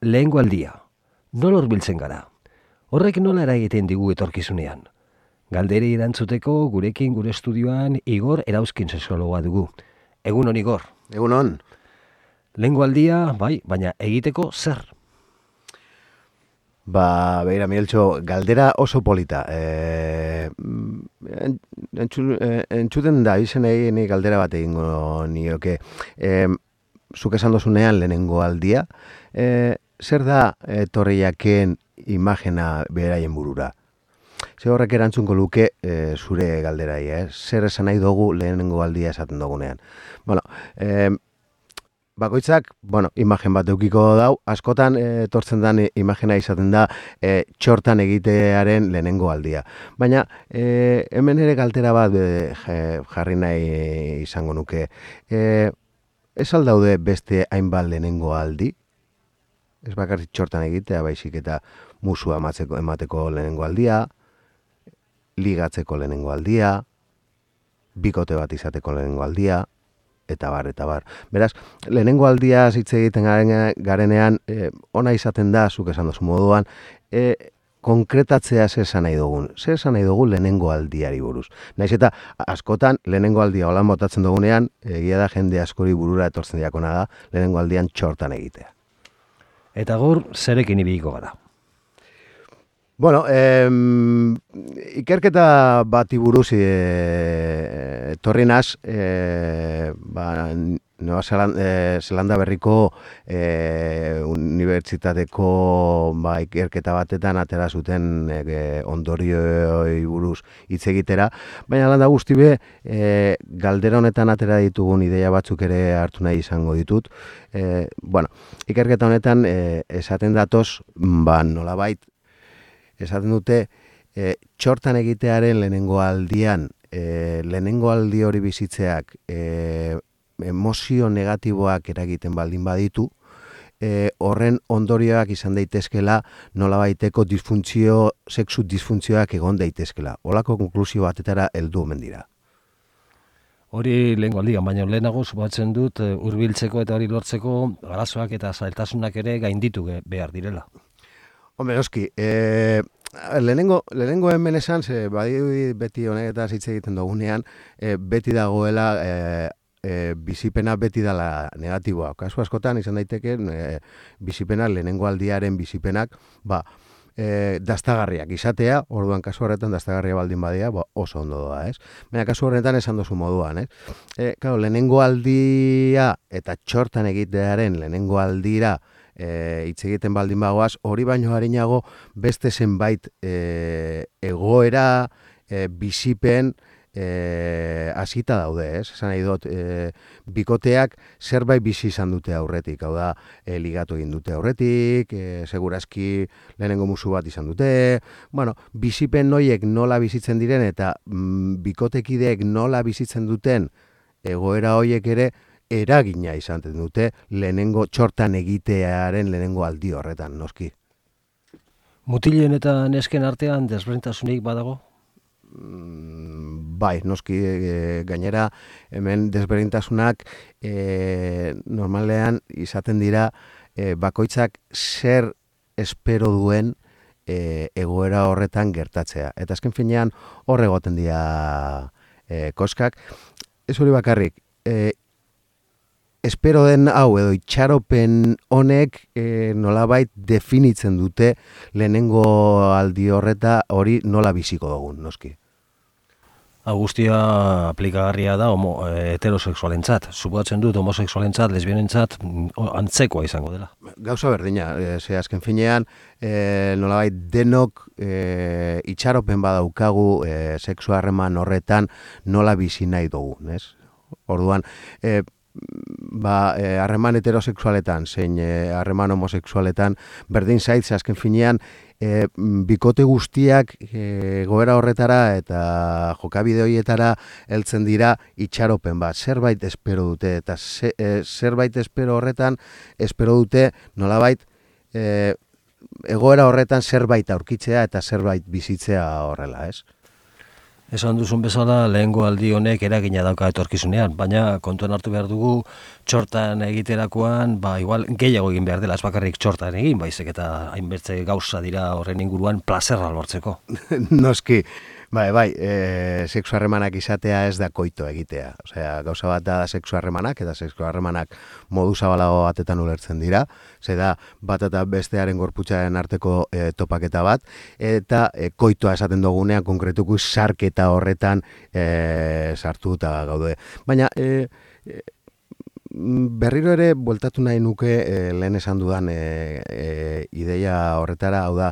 lehengo aldia. Nola hurbiltzen gara? Horrek nola eragiten digu etorkizunean? Galderi erantzuteko gurekin gure estudioan Igor Erauzkin sexologoa dugu. Egun hon, Igor. Egun hon. Lehengo aldia, bai, baina egiteko zer? Beira, Mieltxo, galdera oso polita. Entzuten da, izenei ni galdera bat egingo nioke. Zuk esan dozunean lehenengo aldia, zer da etorriaken imagena beraien burura? Ze horrek erantzunko luke zure galderai, zer esan nahi dugu lehenengo aldia esaten dugunean. Bakoitzak, imagen bat eukiko dau, askotan etortzen dan imagena izaten da txortan egitearen lehenengo aldia. Baina hemen ere galdera bat jarri nahi izango nuke. Ez aldaude beste hainbat lehenengo aldi? Ez bakarrik txortan egitea, baizik eta musua emateko lehenengo aldia, ligatzeko lehenengo aldia, bikote bat izateko lehenengo aldia, eta bar. Beraz, lehenengo aldia hitz egiten garenean, ona izaten da, zuk esan dozu moduan, konkretatzea zer esan nahi dugun. Zer esan nahi dugu lehenengo aldiari buruz. Naiz eta askotan lehenengo aldia holan botatzen dugunean, egia da jende askori burura etortzen diakona da, lehenengo aldian txortan egitea. Eta gaur, zerekin ibiliko gara? Ikerketa bati buruz etorri naz, Nueva Zelanda berriko unibertsitateko ikerketa batetan atera zuten ondorioi buruz hitz egitera, baina landa guzti be, galdera honetan atera ditugun ideia batzuk ere hartu nahi izango ditut. Ikerketa honetan esaten datoz, nolabait, esaten dute, txortan egitearen lehenengo aldian, lehenengo aldi hori bizitzeak emozio negatiboak eragiten baldin baditu, horren ondorioak izan daitezkela nolabaiteko sexu disfuntzioak egon daitezkela. Holako konklusio batetara heldu omen dira. Hori lehengo aldian, baina lehenago subatzen dut hurbiltzeko eta hori lortzeko arazoak eta zailtasunak ere gainditu behar direla. Hombre, noski, lehenengo hemen esan, beti honetaz hitz egiten dugunean, beti dagoela, bizipena beti dela negatiboa. Kasu askotan izan daiteke, bizipenak, lehenengo aldiaren bizipenak, daztagarriak izatea, orduan kasu horretan daztagarria baldin badia, oso ondo doa, ez? Baina kasu horretan esan dozu moduan, ez? Lehenengo aldia eta txortan egitearen lehenengo aldira hitz egiten baldin bagoaz, hori baino harinago beste zenbait egoera, bizipen hasita daude, ez? Esan nahi dut, bikoteak zerbait bizi izan dute aurretik, hau da, ligatu egin dute aurretik, segurazki lehenengo musu bat izan dute, bizipen noiek nola bizitzen diren eta bikotekideek nola bizitzen duten egoera hoiek ere eragina izan dute lehenengo txortan egitearen lehenengo aldi horretan, noski. Mutilen eta nesken artean desberdintasunik badago? Bai, noski, gainera hemen desberdintasunak normalean izaten dira bakoitzak zer espero duen egoera horretan gertatzea. Eta azken finean hor egoten dira koskak. Ez hori bakarrik, espero den hau edo itxaropen honek nolabait definitzen dute lehenengo aldi horreta hori nola biziko dugun, noski. Guztia aplikagarria da heterosexualentzat. Suposatzen dut homosexualentzat, lesbianentzat antzekoa izango dela. Gauza berdina, azken finean nolabait denok itxaropen badaukagu sexu harreman horretan nola bizi nahi dugun, ez? Orduan, harreman heterosexualetan, zein harreman homosexualetan, berdin zaitz, azken finean, bikote guztiak goera horretara eta jokabide horietara heltzen dira itxaropen bat. Zerbait espero dute, eta zerbait espero horretan, espero dute nolabait egoera horretan zerbait aurkitzea eta zerbait bizitzea horrela, ez? Esan duzun bezala, lehengo aldi honek eragina dauka etorkizunean, baina kontuan hartu behar dugu txortan egiterakoan, igual gehiago egin behar dela, ez bakarrik txortan egin, baizik eta hainbertze gauza dira horren inguruan plazerra lortzeko. Noski, bai, sexu harremanak izatea ez da koito egitea. Osea, gauza bat da sexu harremanak, eta sexu harremanak modu zabalago batetan ulertzen dira, ze da bat eta bestearen gorputzaren arteko topaketa bat, eta koitoa esaten dugunean konkretuko sarketa horretan sartuta gaude. Baina, berriro ere bueltatu nahi nuke lehen esan dudan ideia horretara, hau da,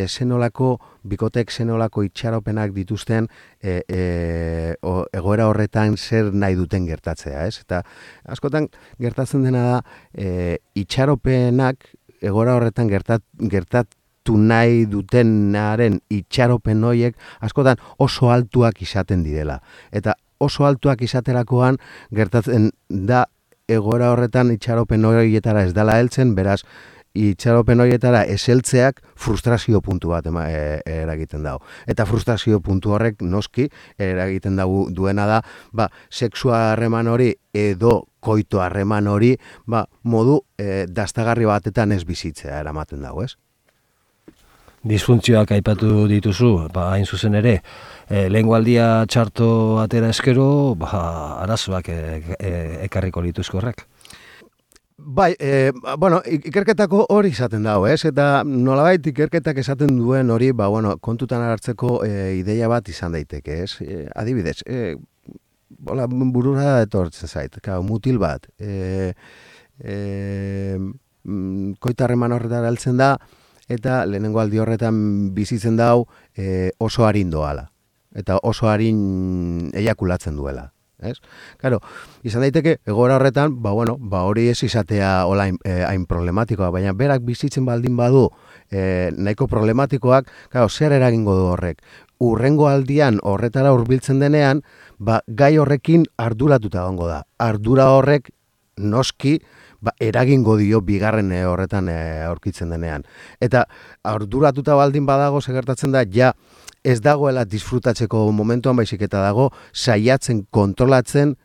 zenolako bikotek zenolako itxaropenak dituzten egoera horretan zer nahi duten gertatzea, ez? Eta askotan gertatzen dena da itxaropenak egoera horretan gertatu nahi dutenaren itxaropen horiek askotan oso altuak izaten direla. Eta oso altuak izaterakoan gertatzen da egoera horretan itxaropen horietara ez dela heltzen, beraz, itxaropen horietara ez heltzeak frustrazio puntu bat eragiten dago. Eta frustrazio puntu horrek noski eragiten duena da, sexua harreman hori edo koito harreman hori, modu dastagarri batetan ez bizitzea eramaten dago, ez? Disfuntzioak aipatu dituzu, hain zuzen ere, lehengo aldia txarto atera eskero, arazoak ekarriko lituzko horrek. Bai, ikerketako hori izaten dago, ez? Eta nolabait ikerketak esaten duen hori, kontutan hartzeko ideia bat izan daiteke, ez? Adibidez, burura etortzen zait, mutil bat, koito harreman horretara heltzen da, eta lehenengo aldi horretan bizitzen dau oso arin doala. Eta oso arin eiakulatzen duela. Ez? Claro, izan daiteke, egoera horretan, hori ez izatea hain problematikoa, baina berak bizitzen baldin badu nahiko problematikoak, zer eragingo du horrek? Urrengo aldian horretara hurbiltzen denean, gai horrekin arduratuta egongo da. Ardura horrek noski, eragingo dio bigarren horretan aurkitzen denean. Eta arduratuta baldin badago segertatzen da, ez dagoela disfrutatzeko momentuan, baizik eta dago saiatzen kontrolatzen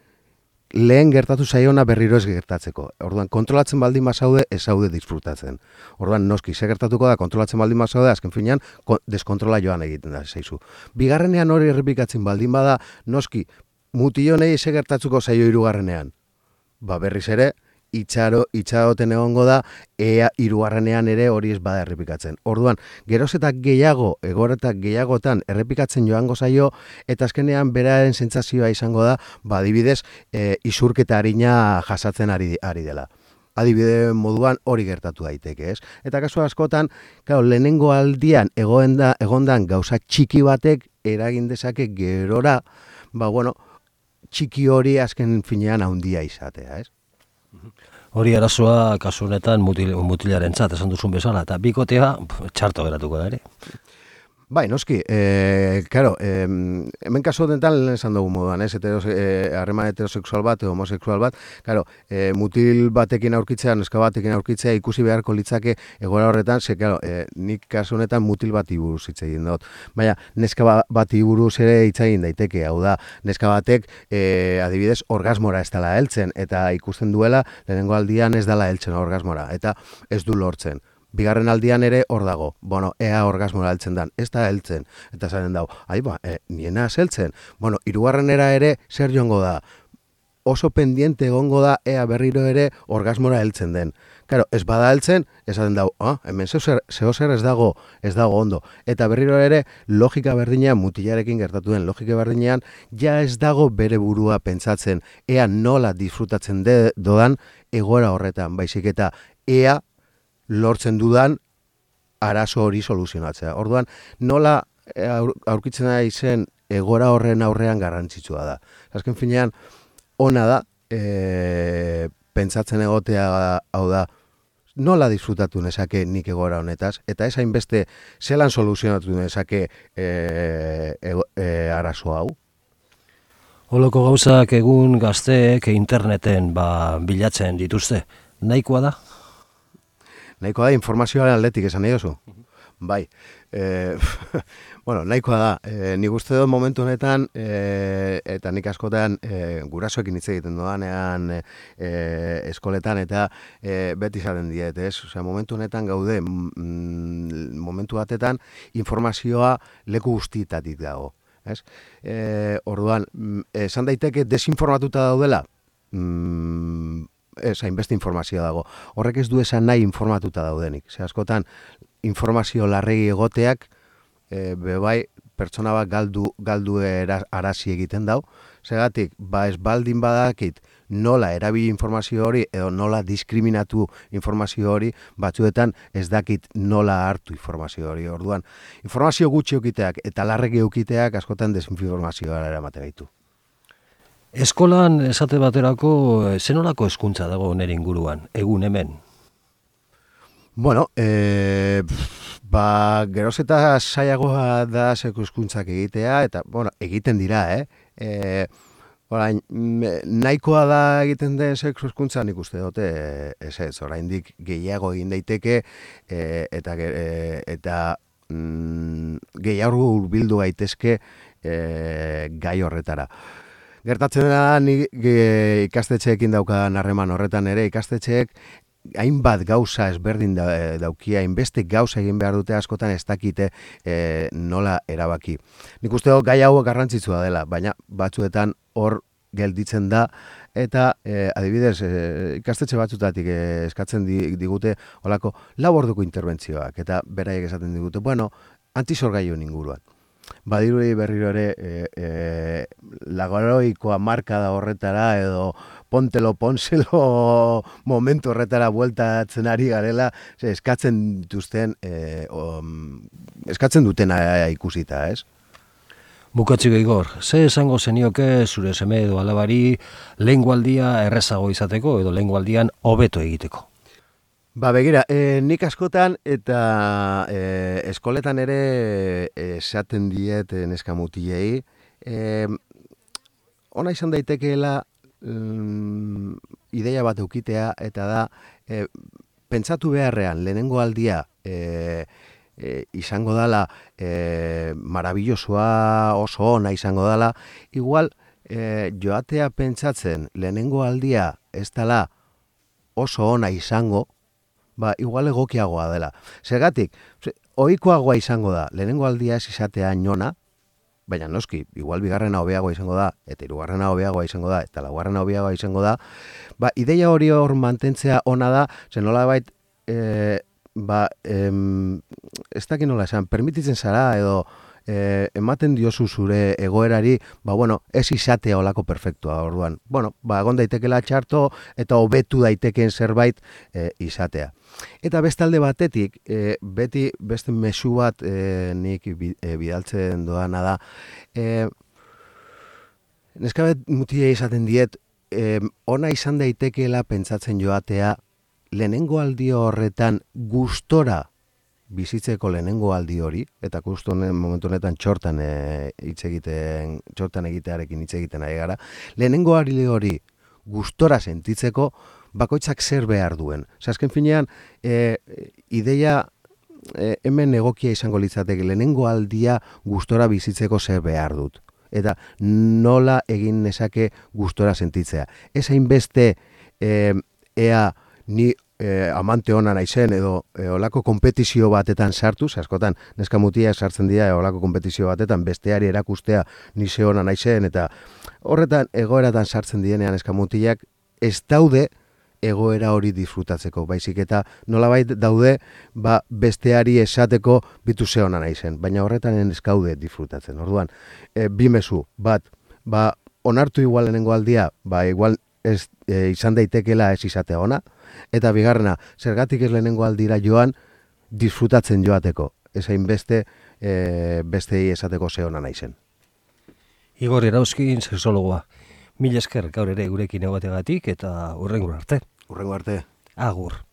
lehen gertatu zaiona berriro ez gertatzeko. Orduan, kontrolatzen baldin bazaude, ez zaude disfrutatzen. Orduan, noski, gertatuko da, kontrolatzen baldin bazaude, azken finean, deskontrola joan egiten da, zaizu. Bigarrenean hori errepikatzen baldin bada, noski, mutilonei gertatuko zaio hirugarrenean. Berriz ere, itxaroten egongo da, ea hirugarrenean ere hori ez bada errepikatzen. Orduan, geroz eta gehiago, egoretak gehiagotan errepikatzen joango zaio, eta azkenean beraren sentsazioa izango da, adibidez, isurketa arina jasatzen ari dela. Adibide moduan hori gertatu daiteke, ez? Eta kasu askotan, lehenengo aldian egondan gauza txiki batek eragin dezake gerora, txiki hori azken finean handia izatea, ez? Hori arazoa kasu honetan mutilaren esan duzun bezala, eta bikotea txarto geratuko da ere. Bai, noski, hemen kasu honetan esan dugu moduan, ez? Harreman heterosexual bat, homosexual bat, mutil batekin aurkitzea, neska batekin aurkitzea ikusi beharko litzake egoera horretan, nik kasu honetan mutil bati buruz hitz egin dut. Baina, neska bati buruz ere hitz egin daiteke, hau da, neska batek adibidez orgasmora ez dela heltzen, eta ikusten duela lehenengo aldian ez dela heltzen orgasmora, eta ez du lortzen. Bigarren aldian ere hor dago, ea orgasmora heltzen dan, ez da heltzen, eta zaren dago, niena ez heltzen, hirugarrenera ere zer joango da, oso pendiente egongo da, ea berriro ere orgasmora heltzen den. Claro, ez bada heltzen, esaten dago, hemen zehozer ez dago ondo, eta berriro ere logika berdinean, mutilarekin gertatu den logika berdinean, ja ez dago bere burua pentsatzen, ea nola disfrutatzen dodan egoera horretan, baizik eta ea lortzen dudan arazo hori soluzionatzea. Orduan, nola aurkitzen da izen egora horren aurrean garrantzitsua da. Azken finean, ona da, pentsatzen egotea hau da, nola disfrutatu nezake nik egora honetaz, eta ez hainbeste zelan soluzionatu nezake arazo hau. Holoko gauzak egun gazteek interneten bilatzen dituzte. Nahikoa da? Nahikoa da informazioaren aldetik esan nahi duzu. Bai, bueno, nahikoa da. Nik uste dut momentu honetan, eta nik askotan gurasoekin hitz egiten doanean eskoletan, eta beti izaten diet, ez? Osea, momentu honetan gaude, momentu batetan informazioa leku guztietatik dago, ez? Orduan, esan daiteke desinformatuta daudela? Ez, hainbeste informazioa dago. Horrek ez du esan nahi informatuta daudenik. Ze askotan, informazio larregi egoteak, bebai, pertsona bat galdu arazi egiten dau. Segatik, ez baldin badakit nola erabili informazio hori, edo nola diskriminatu informazio hori, batzuetan ez dakit nola hartu informazio hori. Orduan, informazio gutxi eukiteak eta larregi eukiteak askotan desinformazioa eramaten gaitu. Eskolan esate baterako zenolako hezkuntza dago nire inguruan, egun hemen? Bueno, geroz eta saiagoa da seko hezkuntzak egitea, eta, bueno, egiten dira, Orain, nahikoa da egiten den sexu hezkuntza, nik uste dute, ez, oraindik gehiago egin daiteke, eta gehiago hurbildu gaitezke gai horretara. Gertatzen da, ikastetxeekin daukadan harreman horretan ere, ikastetxeek hainbat gauza ezberdin daukia, hainbeste gauza egin behar dute askotan ez dakite nola erabaki. Nik uste dut gai hau garrantzitsua dela, baina batzuetan hor gelditzen da, eta adibidez, ikastetxe batzutatik eskatzen digute olako 4 orduko interbentzioak, eta beraiek esaten digute, bueno, antisorgailuen inguruan. Badirudi berriro ere lagoroikoa markada horretara edo ponselo momentu horretara bueltatzen ari garela, eskatzen dutena ikusita, ez? Bukatziko Igor, ze esango zenioke zure seme edo alabari lehengoaldia errezago izateko edo lehengoaldian hobeto egiteko? Begira, nik askotan eta eskoletan ere esaten diet neska mutilei, ona izan daitekeela ideia bat eukitea, eta da, pentsatu beharrean lehenengo aldia izango dala marabillosoa, oso ona izango dala, igual joatea pentsatzen lehenengo aldia ez dala oso ona izango, igual egokiagoa dela. Zergatik, ohikoagoa izango da, lehenengo aldia ez izatea nona, baina noski, igual bigarrena hobeagoa izango da, eta hirugarrena hobeagoa izango da, eta laugarrena hobeagoa izango da, ideia hori hor mantentzea ona da, zen nolabait, ez dakit nola esan, permititzen zara edo ematen diozu zure egoerari, ez izatea olako perfektua, orduan. Egon daitekela txarto eta hobetu daiteken zerbait izatea. Eta bestalde batetik, beti beste mezu bat nik bidaltzen doana da, neskabet mutilei esaten diet, ona izan daitekeela pentsatzen joatea, lehenengo aldi horretan gustora bizitzeko lehenengo aldi hori, eta justu momentu honetan txortan egitearekin hitz egiten ari gara, lehenengo aldi hori gustora sentitzeko bakoitzak zer behar duen. Azken finean, ideia hemen egokia izango litzateke, lehenengo aldia gustora bizitzeko zer behar dut. Eta nola egin nezake gustora sentitzea. Ez hainbeste ea ni amante ona naizen edo olako konpetizio batetan sartuz, askotan neska mutiak sartzen dira olako konpetizio batetan besteari erakustea ni ze ona naizen, eta horretan egoeratan sartzen dienean neska mutiak ez daude egoera hori disfrutatzeko, baizik eta nolabait daude besteari esateko bitu ze ona naizen, baina horretan ez gaude disfrutatzen. Orduan, bi mezu, bat, onartu igual lehenengo aldia, igual ez izan daitekeela ez izatea ona, eta bigarrena, zergatik ez lehenengo aldira joan, disfrutatzen joateko, ez hainbeste bestei esateko ze ona naizen. Igor Erauzkin, sexologoa. Mil esker gaur ere gurekin egoteagatik eta hurrengo arte. Hurrengo arte. Agur.